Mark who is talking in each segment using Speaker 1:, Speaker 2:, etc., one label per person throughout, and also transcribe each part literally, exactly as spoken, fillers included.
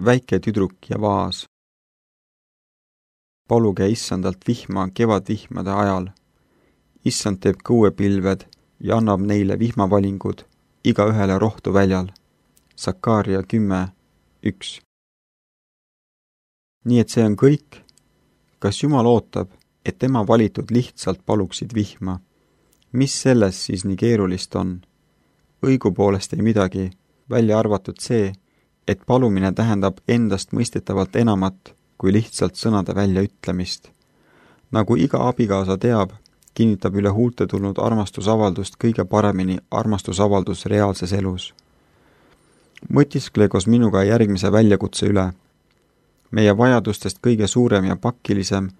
Speaker 1: väike tüdruk ja vaas. Paluge issandalt vihma kevadvihmade ajal. Issand teeb kõuepilved ja annab neile vihmavalingud igaühele rohtu väljal. Sakaaria kümme, üks. Nii et see on kõik. Kas Jumal ootab, et tema valitud lihtsalt paluksid vihma? Mis selles siis nii keerulist on? Õigupoolest ei midagi, välja arvatud see, et palumine tähendab endast mõistetavalt enamat kui lihtsalt sõnade väljaütlemist. Nagu iga abikaasa teab, kinnitab üle huulte tulnud armastusavaldust kõige paremini armastusavaldus reaalses elus. Mõtiskle koos minuga järgmise väljakutse üle. Meie vajadustest kõige suurem ja pakilisem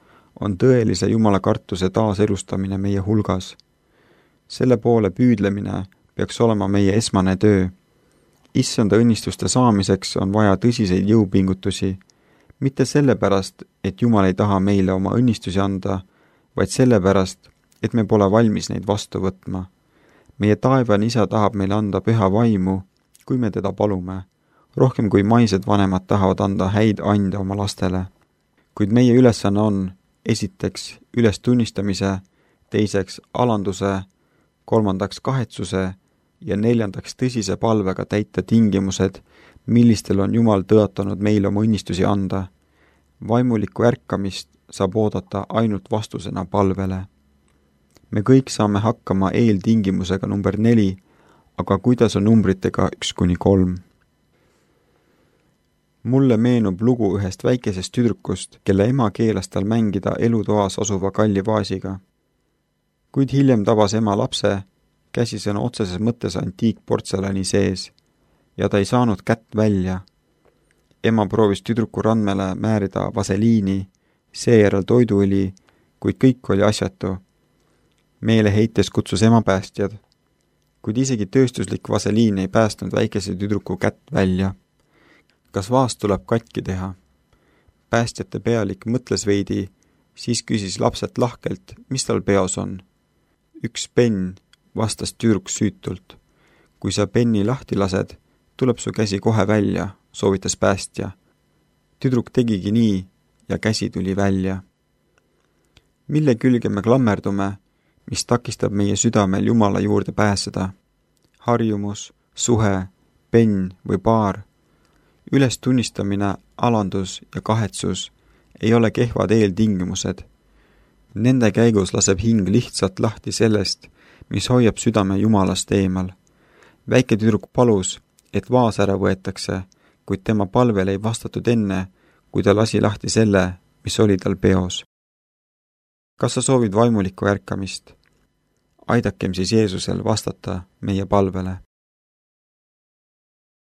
Speaker 1: on tõelise jumalakartuse taaselustamine meie hulgas. Selle poole püüdlemine peaks olema meie esmane töö. Issanda õnnistuste saamiseks on vaja tõsiseid jõupingutusi, mitte sellepärast, et Jumal ei taha meile oma õnnistusi anda, vaid sellepärast, et me pole valmis neid vastu võtma. Meie taevane isa tahab meile anda püha vaimu, kui me teda palume, rohkem kui maised vanemad tahavad anda häid ande oma lastele. Kuid meie ülesanne on esiteks üles tunnistamise, teiseks alanduse, kolmandaks kahetsuse ja neljandaks tõsise palvega täita tingimused, millistel on Jumal tõotanud meile oma õnnistusi anda. Vaimulikku ärkamist saab oodata ainult vastusena palvele. Me kõik saame hakkama eeltingimusega number neli, aga kuidas on numbritega üks kuni kolm? Mulle meenub lugu ühest väikesest tüdrukust, kelle ema keelas tal mängida elutoas asuva kalli vaasiga. Kuid hiljem tabas ema lapse, käsisõna otseses mõttes antiikportselani sees, ja ta ei saanud kätt välja. Ema proovis tüdruku randmele määrida vaseliini, seejärel toiduõli, kuid kõik oli asjatu. Meele heites kutsus ema päästjad, kuid isegi tööstuslik vaseliin ei päästnud väikese tüdruku kätt välja. Kas vaas tuleb katki teha? Päästjate pealik mõtles veidi, siis küsis lapselt lahkelt, mis tal peos on. Üks penn, vastas tüdruk süütult. Kui sa penni lahti lased, tuleb su käsi kohe välja, soovitas päästja. Tüdruk tegigi nii ja käsi tuli välja. Mille külge me klammerdume, mis takistab meie südamel Jumala juurde pääseda? Harjumus, suhe, penn või paar? Üles tunnistamine, alandus ja kahetsus ei ole kehvad eeltingimused. Nende käigus laseb hing lihtsalt lahti sellest, mis hoiab südame Jumalast eemal. Väike tüdruk palus, et vaas ära võetakse, kuid tema palvel ei vastatud enne, kui ta lasi lahti selle, mis oli tal peos. Kas sa soovid vaimulikku ärkamist? Aidakem siis Jeesusel vastata meie palvele.